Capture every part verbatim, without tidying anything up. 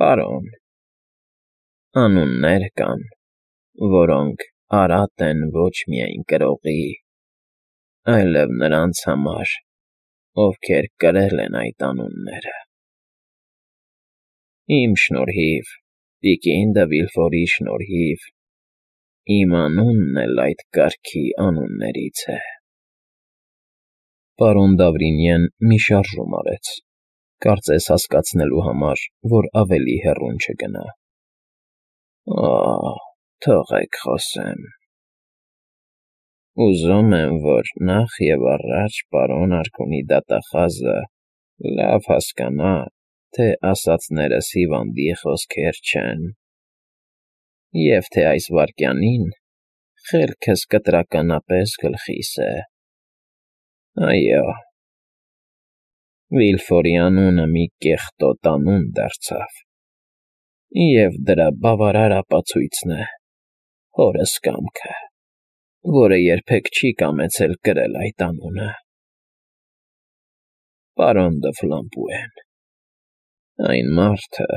Պարոն, անուններ կան, որոնք արատ են ոչ միայն կրողի, այլև նրանց համար, ովքեր կրել են այդ անունները։ Իմ շնորհիվ, տիկին դը Վիլֆորի շնորհիվ, իմ անունն էլ այդ կարգի անուններից է։ Պարոն Դավրինյեն մի շարժում արեց, կարծես հասկացնելու համար, որ ավելի հեռուն չգնա։ Օ՜, թողեք խոսեմ։ Ուզում եմ, որ նախ և առաջ պարոն Արգոնի դատախազը լավ հասկանա, թե ասածներս հիվանդի խոսքեր չեն, և թե այս վայրկյանին խելքս կտրականապես գլխիս է։ Այո, Վիլֆորի անունը մի կեղտոտ անուն դարձավ, և դրա բավարար ապացույցն է հորս կամքը, որը երբեք չի կամեցել կրել այդ անունը։ Պարոն դը Ֆլամպուեն, այն մարդը,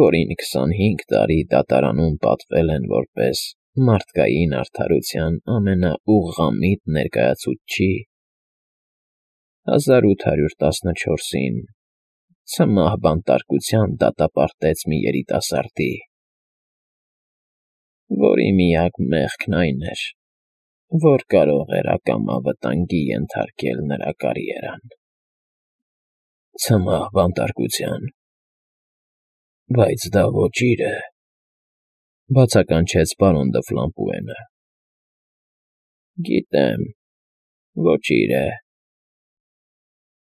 որին քսանհինգ տարի դատարանում պատվել են որպես մարդկային արդարության ամենաուղղամիտ ներկայացուցչի, հազար ութ հարյուր տասնչորսին ցմահ բանտարկության դատապարտեց մի երիտասարդի, որի միակ մեղքն այն էր, որ կարող էր ակամա վտանգի ենթարկել նրա կարիերան։ Ցմահ բանտարկության, բայց դա ոճիր է, բացականչեց պարոն դը Ֆլամպուենը։ Գիտեմ, ոճիր է։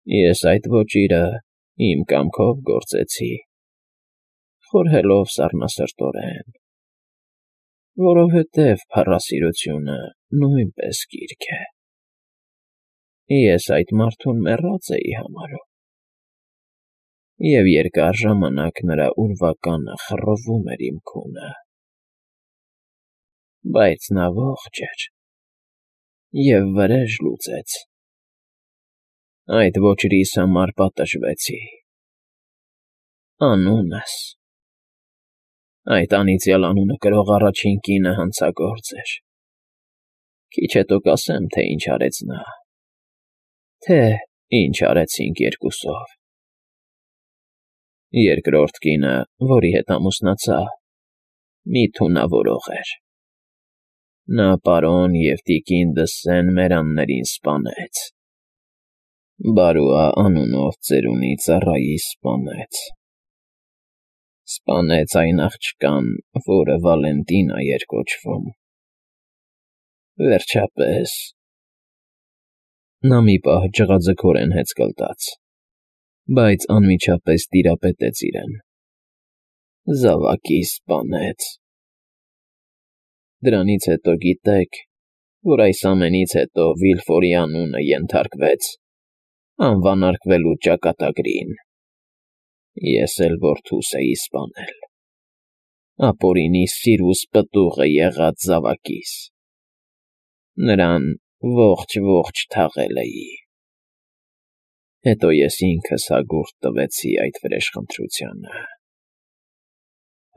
Ես այդ ոճիրը իմ կամքով գործեցի, խորհելով սառնասրտորեն, որովհետև փառասիրությունը նույնպես կիրք է։ Ես այդ մարդուն մեռած էի համարում, և երկար ժամանակ նրա ուրվականը խռովում էր իմ քունը, բայց նա ողջ էր և վրեժ լուծեց։ Այդ ոճրիս համար պատժվեցի։ Անունս… Այդ անիծյալ անունը կրող առաջին կինը հանցագործ էր։ Քիչ հետո կասեմ, թե ինչ արեց նա, թե ինչ արեցինք երկուսով։ Երկրորդ կինը, որի հետ ամուսնացա, մի թունավորող էր։ Նա պարոն և տիկին Դսեն Մերաններին սպանեց, Բարուա անունով ծերունի ծառայիս սպանեց, սպանեց այն աղջկան, որը Վալենտինա էր կոչվում, վերջապես… Նա մի պահ ջղաձգորեն հեծկլտաց, բայց անմիջապես տիրապետեց իրեն. Զավակիս սպանեց։ Դրանից հետո գիտեք, որ այս ամենից հետո Վիլֆորի անունը ենթարկվեց անվանարկվելու ճակատագրին, ես էլ որդուս էի սպանել, ապօրինի սիրուս պտուղը եղած զավակիս, նրան ողջ֊ողջ թաղել էի։ Հետո ես ինքս հագուրդ տվեցի այդ վրեժխնդրությանը։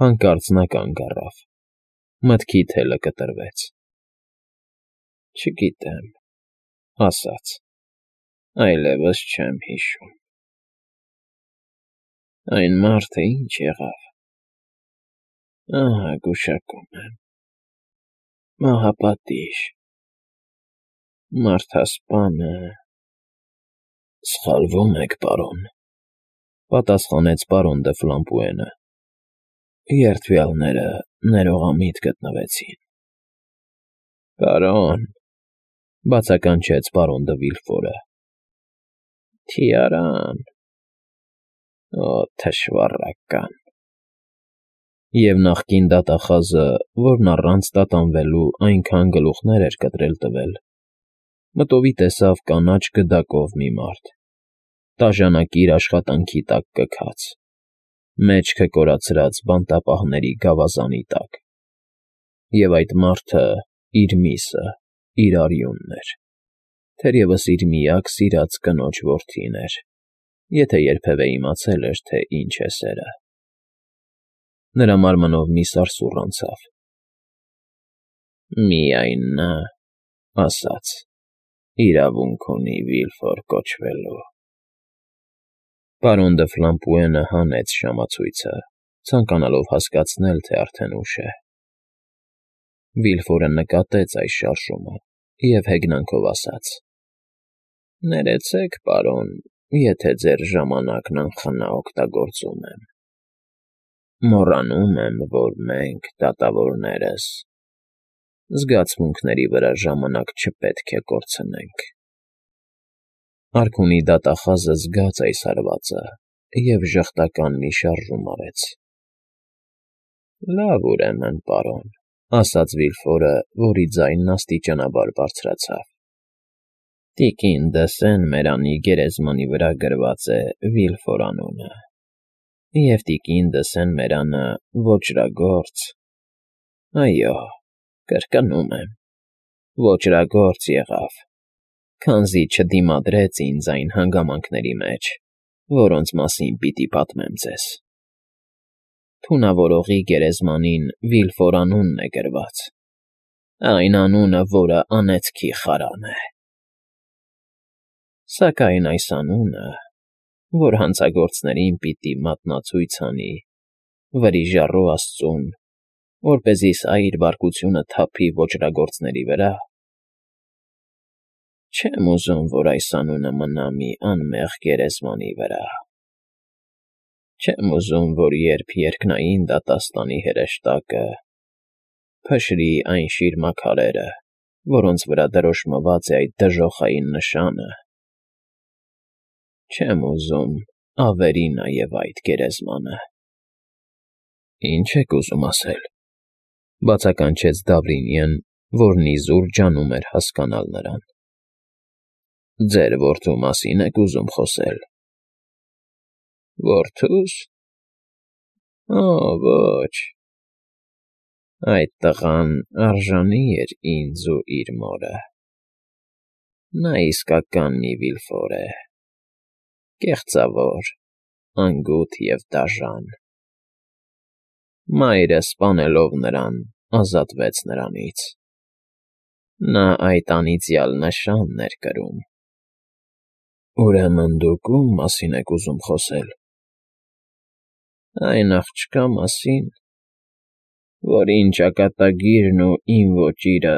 Հանկարծ նա կանգ առավ, մտքի թելը կտրվեց։ Չգիտեմ, ասաց, այլևս չեմ հիշում։ Այն մարդը ինչ եղավ… Ահա գուշակում եմ… Մահապատիժ… Մարդասպանը… Սխալվում եք, պարոն, պատասխանեց պարոն դը Ֆլամպուենը։ Երդվյալները ներողամիտ գտնվեցին։ Պարոն, բացականչեց պարոն դը Վիլֆորը, թիարան… Օ, թշվառական… Եվ նախկին դատախազը, որն առանց տատանվելու այնքան գլուխներ էր կտրել տվել, մտովի տեսավ կանաչ գդակով մի մարդ, տաժանակիր աշխատանքի տակ կքած, մեջքը կորացրած բանտապահների գավազանի տակ, և այդ մարդը իր միսը, իր արյունն էր, թերևս իր միակ սիրած կնոջ որդին էր, եթե երբևէ իմացել էր, թե ինչ է սերը։ Նրա մարմնով մի սարսուռ անցավ։ Միայն նա ասաց. իրավունք ունի Վիլֆոր կոչվելու։ Պարոն դը Ֆլամպուենը հանեց ժամացույցը, ցանկանալով հասկացնել, թե արդեն ուշ է։ Վիլֆորը նկատեց այս շարժումը և հեգնանքով ասաց. ներեցեք, պարոն, եթե ձեր ժամանակն անխնա օգտագործում եմ։ Մոռանում եմ, որ մենք, դատավորներս, զգացմունքների վրա ժամանակ չպետք է կորցնենք։ Արքունի դատախազը զգաց այս հարվածը և ժխտական մի շարժում արեց։ Լավ, ուրեմն, պարոն, ասաց Վիլֆորը, որի ձայնն աստիճանաբար բարձրացավ։ Տիկին Դսեն-Մերանի գերեզմանի վրա գրված է Վիլֆոր անունը, և տիկին Դսեն-Մերանը ոճրագործ, այո, կրկնում եմ, ոճրագործ եղավ, քանզի չդիմադրեց ինձ այն հանգամանքների մեջ, որոնց մասին պիտի պատմեմ ձեզ։ Թունավորողի գերեզմանին Վիլֆոր անունն է գրված, այն անունը, որը անեծքի խարան է։ Սակայն այս անունը, որ հանցագործներին պիտի մատնացույց անի, վրիժառու աստծուն, որպեսզի սա իր բարկությունը թափի ոճրագործների վրա, չեմ ուզում, որ այս անունը մնա մի անմեղ գերեզմանի վրա։ Չեմ ուզում, որ երբ երկնային դատաստանի հրեշտակը փշրի այն շիրմաքարերը, որոնց վրա դրոշմված է այդ դժոխային նշանը, չեմ ուզում ավերի նաև այդ գերեզմանը։ Ինչ եք ուզում ասել, բացականչեց Դավրինյեն, որն իզուր ջանում էր հասկանալ նրան։ Ձեր որդու մասին եք ուզում խոսել։ Որդո՞ւս։ Օ, ոչ, այդ տղան արժանի էր ինձ ու իր մորը։ Նա իսկական մի Վիլֆոր է, կեղծավոր, անգութ և դաժան։ Մայրը սպանելով նրան, ազատվեց նրանից։ Նա այդ անիծյալ նշանն էր կրում։ Ուրեմն դուք ո՞ւմ մասին եք ուզում խոսել։ Այն աղջկա մասին, որին ճակատագիրն ու իմ ոճիրը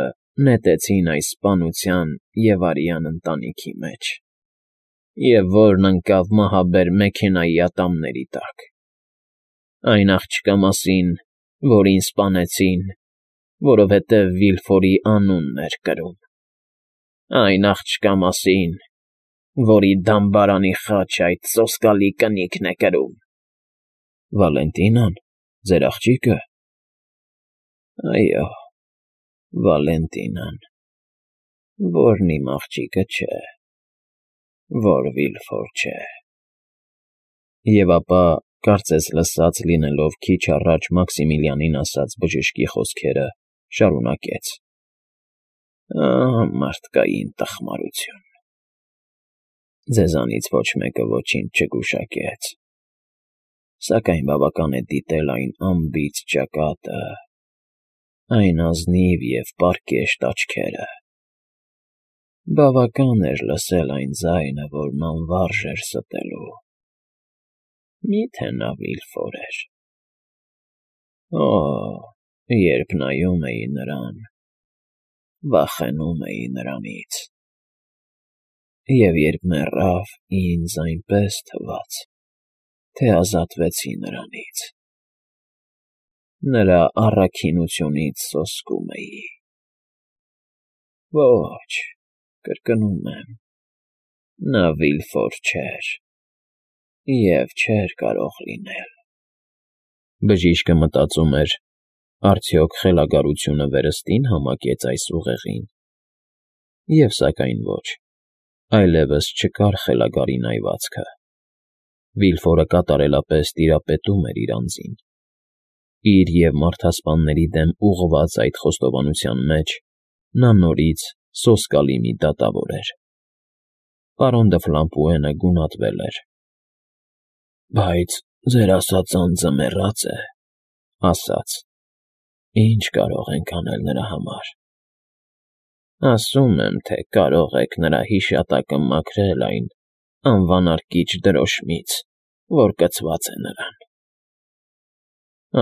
նետեցին այս սպանության և արյան ընտանիքի մեջ, և որն ընկավ մահաբեր մեքենայի ատամների տակ։ Այն աղջկա մասին, որին սպանեցին, որովհետև Վիլֆորի անունն էր կրում։ Այն աղջկա մասին, որի դամբարանի խաչը այդ սոսկալի կնիկն է կրում։ Վալենտինա՞ն, ձեր աղջիկը։ Այո, Վալենտինան, որն իմ աղջիկը չէ, որ Վիլֆոր չէ։ Եվ ապա, կարծես լսած լինելով քիչ առաջ Մաքսիմիլիանին ասած բժշկի խոսքերը, շարունակեց. Ահ, մարդկային տխմարություն։ Ձեզանից ոչ մեկը ոչինչ չգուշակեց, սակայն բավական է դիտել այն անբիծ ճակատը, այն ազնիվ և պարկեշտ աչքերը։ Բավական էր լսել այն ձայնը, որն անվարժ էր ստելու։ Մի՞թե նա Վիլֆոր էր։ Օ, երբ նայում էի նրան, վախենում էի նրանից։ Եվ երբ մեռավ, ինձ այնպես թվաց, թե ազատվեցի նրանից։ Նրա առաքինությունից սոսկում էի։ Ոչ, կրկնում եմ, նա Վիլֆոր չէր և չէր կարող լինել։ Բժիշկը մտածում էր, արդյոք խելագարությունը վերստին համակեց այս ուղեղին։ Եվ սակայն ոչ, այլևս չկար խելագարի նայվածքը։ Վիլֆորը կատարելապես տիրապետում էր իր անձին։ Իր և մարդասպանների դեմ ուղղված այդ խոստովանության մեջ նա նորից սոսկալի մի դատավոր էր։ Պարոն դը Ֆլամպուենը գունատվել էր։ Բայց ձեր ասած անձը մեռած է, ասաց. Ինչ կարող ենք անել նրա համար։ Ասում եմ, թե կարող եք նրա հիշատակը մաքրել այն անվանարկիչ դրոշմից, որ կցված է նրան։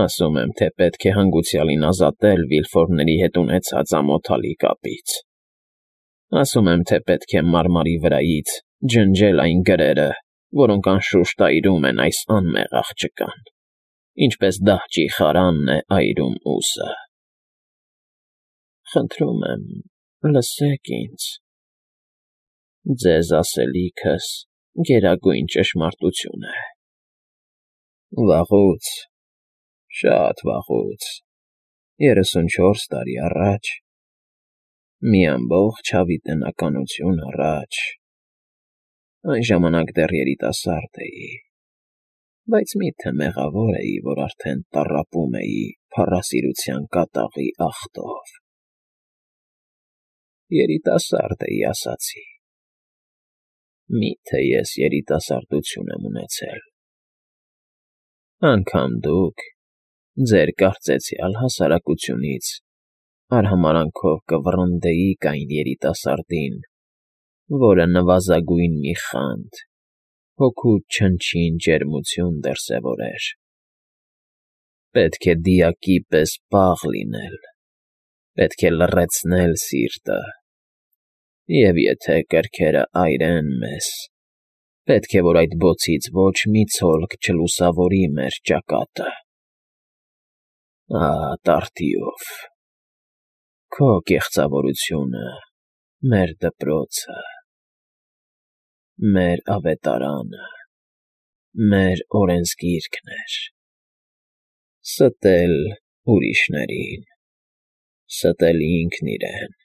Ասում եմ, թե պետք է հանգուցյալին ազատել Վիլֆորների հետ ունեցած ամոթալի կապից։ Ասում եմ, թե պետք է մարմարի վրայից ջնջել այն գրերը, որոնք անշուշտ այրում են այս անմեղ աղջկան, ինչպես դահճի խարանն է այրում ուսը։ Խնդրում եմ, լսեք ինձ։ Ձեզ ասելիքս գերագույն ճշմարտություն է։ Վաղուց, շատ վաղուց, երեսունչորս տարի առաջ, մի ամբողջ հավիտենականություն առաջ, այն ժամանակ դեռ երիտասարդ էի, բայց մի՞թե մեղավոր էի, որ արդեն տառապում էի փառասիրության կատաղի աղտով։ Երիտասարդ էի, ասացի։ Մի՞թե ես երիտասարդություն եմ ունեցել։ Անգամ դուք, ձեր կարծեցյալ հասարակությունից արհամարհանքով կվռնդեիք այն երիտասարդին, որը նվազագույն մի խանդ, հոգու չնչին ջերմություն դրսևորեր։ Պետք է դիակի պես պաղ լինել, պետք է լռեցնել սիրտը, և եթե կրքերը այրեն մեզ, պետք է, որ այդ բոցից ոչ մի ցոլք չլուսավորի մեր ճակատը։ Ահա տարտիով, քո կեղծավորությունը, մեր դպրոցը, մեր ավետարանը, մեր օրենսգիրքն էր. ստել ուրիշներին, ստել ինքն իրեն։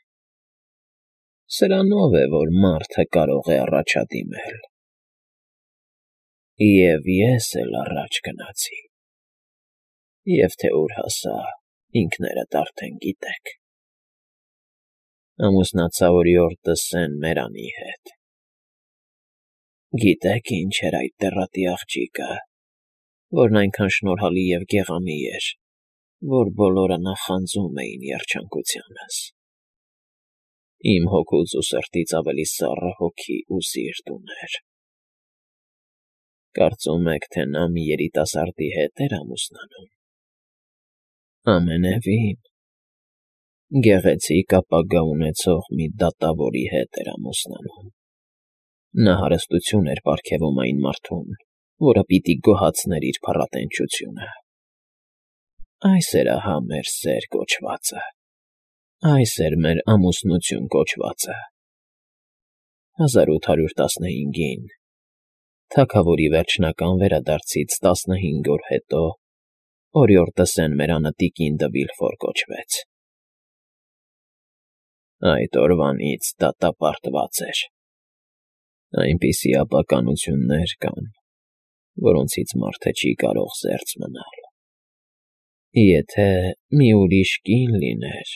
Սրանով է, որ մարդը կարող է առաջադիմել։ Եվ ես էլ առաջ գնացի, և թե ուր հասա, ինքներդ արդեն գիտեք։ Ամուսնացա օրիորդը Սեն Մերանի հետ։ Գիտե՞ք ինչ էր այդ տեռատի աղջիկը, որն այնքան շնորհալի և գեղամի էր, որ բոլորը նախանձում էին երջանկությանս։ Իմ հոգուց ու սրտից ավելի սառը հոգի ու սիրտ ուներ։ Կարծում եք, թե նա մի երիտասարդի հետ էր ամուսնանում։ Ամենևին, գեղեցիկ ապագա ունեցող մի դատավորի հետ էր ամուսնանում։ Նա հարստություն էր պարգևում այն մարդուն, որը պիտի գոհացներ իր փառատենչությունը։ Այս էր ահա մեր սեր կոչվածը, այս էր մեր ամուսնություն կոչվածը։ հազար ութ հարյուր տասնհինգին, թագավորի վերջնական վերադարձից տասնհինգ օր հետո, օրիորդը Սեն Մերանը տիկին դը Վիլֆոր կոչվեց։ Այդ օրվանից դատապարտված էր։ Այնպիսի ապականություններ կան, որոնցից մարդը չի կարող զերծ մնալ։ Եթե մի ուրիշ կին լիներ,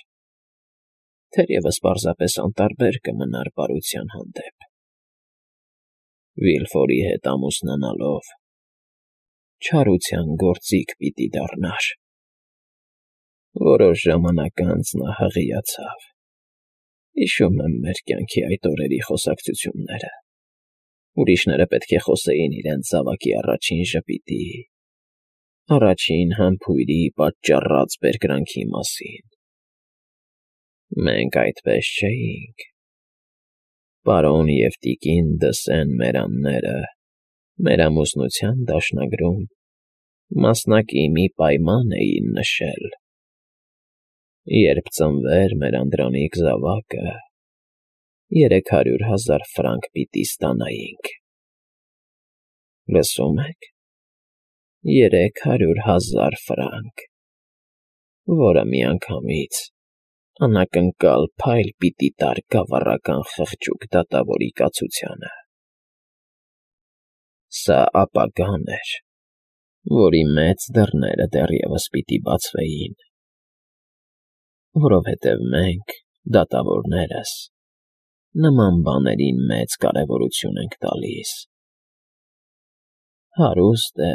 թերևս պարզապես անտարբեր կմնար բարության հանդեպ։ Վիլֆորի հետ ամուսնանալով չարության գործիք պիտի դառնար։ Որոշ ժամանակ անց նա հղիացավ։ Հիշում եմ մեր կյանքի այդ օրերի խոսակցությունները։ Ուրիշները պետք է խոսեին իրենց զավակի առաջին ժպիտի, առաջին համբույրի պատճառած բերկրանքի մասին։ Մենք այդպես չէինք։ Պարոն և տիկին դը Սեն Մերանները մեր ամուսնության դաշնագրում մասնակի մի պայման էին նշել. երբ ծնվեր մեր անդրանիկ զավակը, երեք հարյուր հազար ֆրանկ պիտի ստանայինք։ Լսո՞ւմ եք, երեք հարյուր հազար ֆրանկ, որը միանգամից անակնկալ փայլ պիտի տար գավառական խղճուկ դատավորի կացությանը։ Սա ապագան էր, որի մեծ դռները դեռևս պիտի բացվեին, որովհետև մենք, դատավորներս, նման բաներին մեծ կարևորություն ենք տալիս։ Հարուստ է,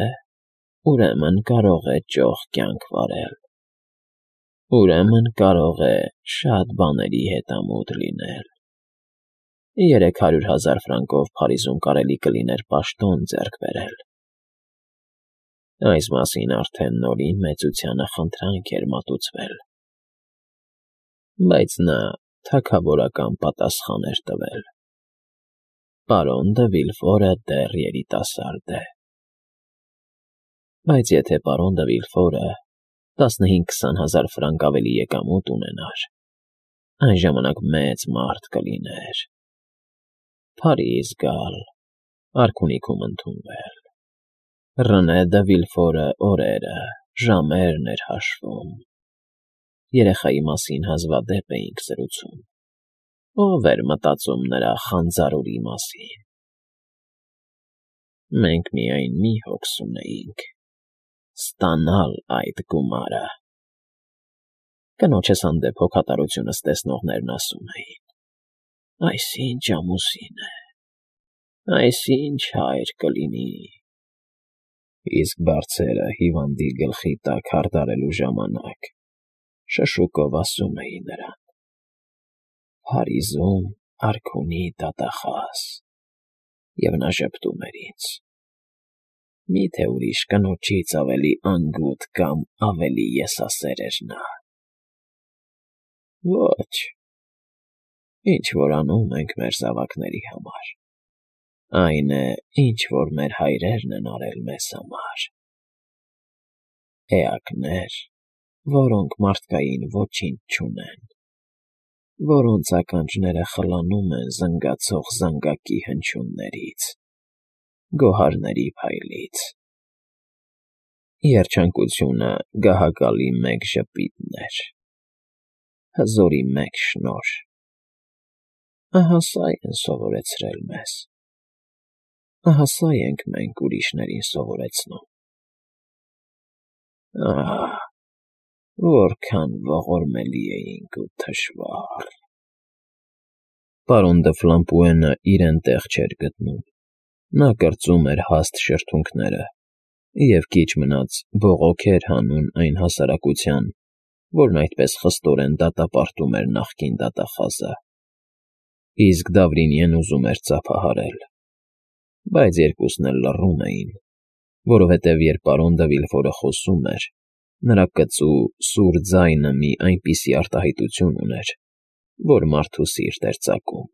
ուրեմն կարող է ճոխ կյանք վարել, ուրեմն կարող է շատ բաների հետամուտ լինել, երեք հարյուր հազար ֆրանկով Փարիզում կարելի կլիներ պաշտոն ձեռք բերել… Այս մասին արդեն Նորին մեծությանը խնդրանք էր մատուցվել, բայց նա թագավորական պատասխան էր տվել. «Պարոն դը Վիլֆորը դեռ երիտասարդ է»։ Բայց եթե պարոն դը Վիլֆորը տասնհինգ֊քսան հազար ֆրանկ ավելի եկամուտ ունենար, այն ժամանակ մեծ մարդ կլիներ, Փարիզ գալ, արքունիքում ընդունվել… Ռնե դը Վիլֆորը օրերը, ժամերն էր հաշվում, երեխայի մասին հազվադեպ էինք զրուցում, ո՞վ էր մտածում նրա խանձարուրի մասին… Մենք միայն մի հոգս ունեինք՝ ստանալ այդ գումարը… Կնոջս հանդեպ հոգատարությունս տեսնողներն ասում էին. «Այս ի՜նչ ամուսին է, այս ի՜նչ հայր կլինի»… Իսկ բարձերը հիվանդի գլխի տակ հարդարելու ժամանակ շշուկով ասում էի նրան. «Փարիզում արքունի դատախազ», և նա ժպտում էր ինձ. «Մի՞թե ուրիշ կնոջից ավելի անգութ կամ ավելի եսասեր էր նա»… Ոչ, ինչ֊որ անում ենք մեր զավակների համար, այն է, ինչ֊որ մեր հայրերն են արել մեզ համար… Էակներ, որոնք մարդկային ոչինչ չունեն, որոնց ականջները խլանում են զնգացող զանգակի հնչյուններից, գոհարների փայլից… Երջանկությունը գահակալի մեկ ժպիտն էր, հզորի մեկ շնորհ… Ահա սա են սովորեցրել մեզ, ահա սա ենք մենք ուրիշներին սովորեցնում… Ահ, որքան ողորմելի էինք ու թշվառ… Պարոն դը Ֆլամպուենը իրեն տեղ չէր գտնում, նա կրծում էր հաստ շրթունքները և քիչ մնաց բողոք էր հանում այն հասարակության, որն այդպես խստորեն դատապարտում էր նախկին դատախազը, իսկ Դավրինիեն ուզում էր ծափահարել… Բայց երկուսն էլ լռում էին, որովհետև երբ պարոն դը Վիլֆորը խոսում էր, նրա կծու, սուր ձայնը մի այնպիսի արտահայտություն ուներ, որ մարդու սիրտ էր ծակում…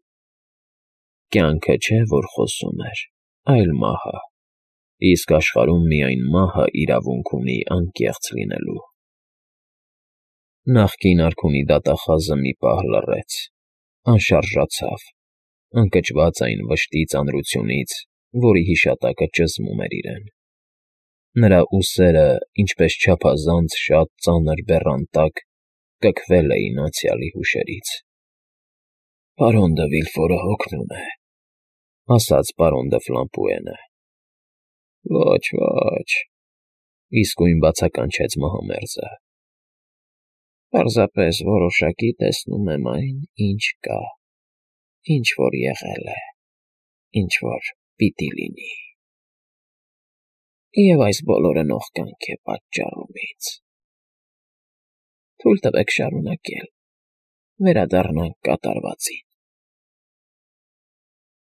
Կյանքը չէ, որ խոսում էր, այլ մահը, իսկ աշխարհում միայն մահը իրավունք ունի անկեղծ լինելու… Նախկին արքունի դատախազը մի պահ լռեց, անշարժացավ, ընկճված այն վշտի ծանրությունից, որի հիշատակը ճզմում էր իրեն… Նրա ուսերը, ինչպես չափազանց շատ ծանր բեռան տակ, կքվել էին անցյալի հուշերից… Պարոն դը Վիլֆորը հոգնում է…֊ ասաց պարոն դը Ֆլամպուենը։ ֊ Ոչ, ոչ,֊ իսկույն բացականչեց մահամերձը,֊ պարզապես որոշակի տեսնում եմ այն, ինչ կա, ինչ֊որ եղել է, ինչ֊որ պիտի լինի… Եվ այս բոլորը նողկանք է պատճառում ինձ… Թույլ տվեք շարունակել, վերադառնանք կատարվածին։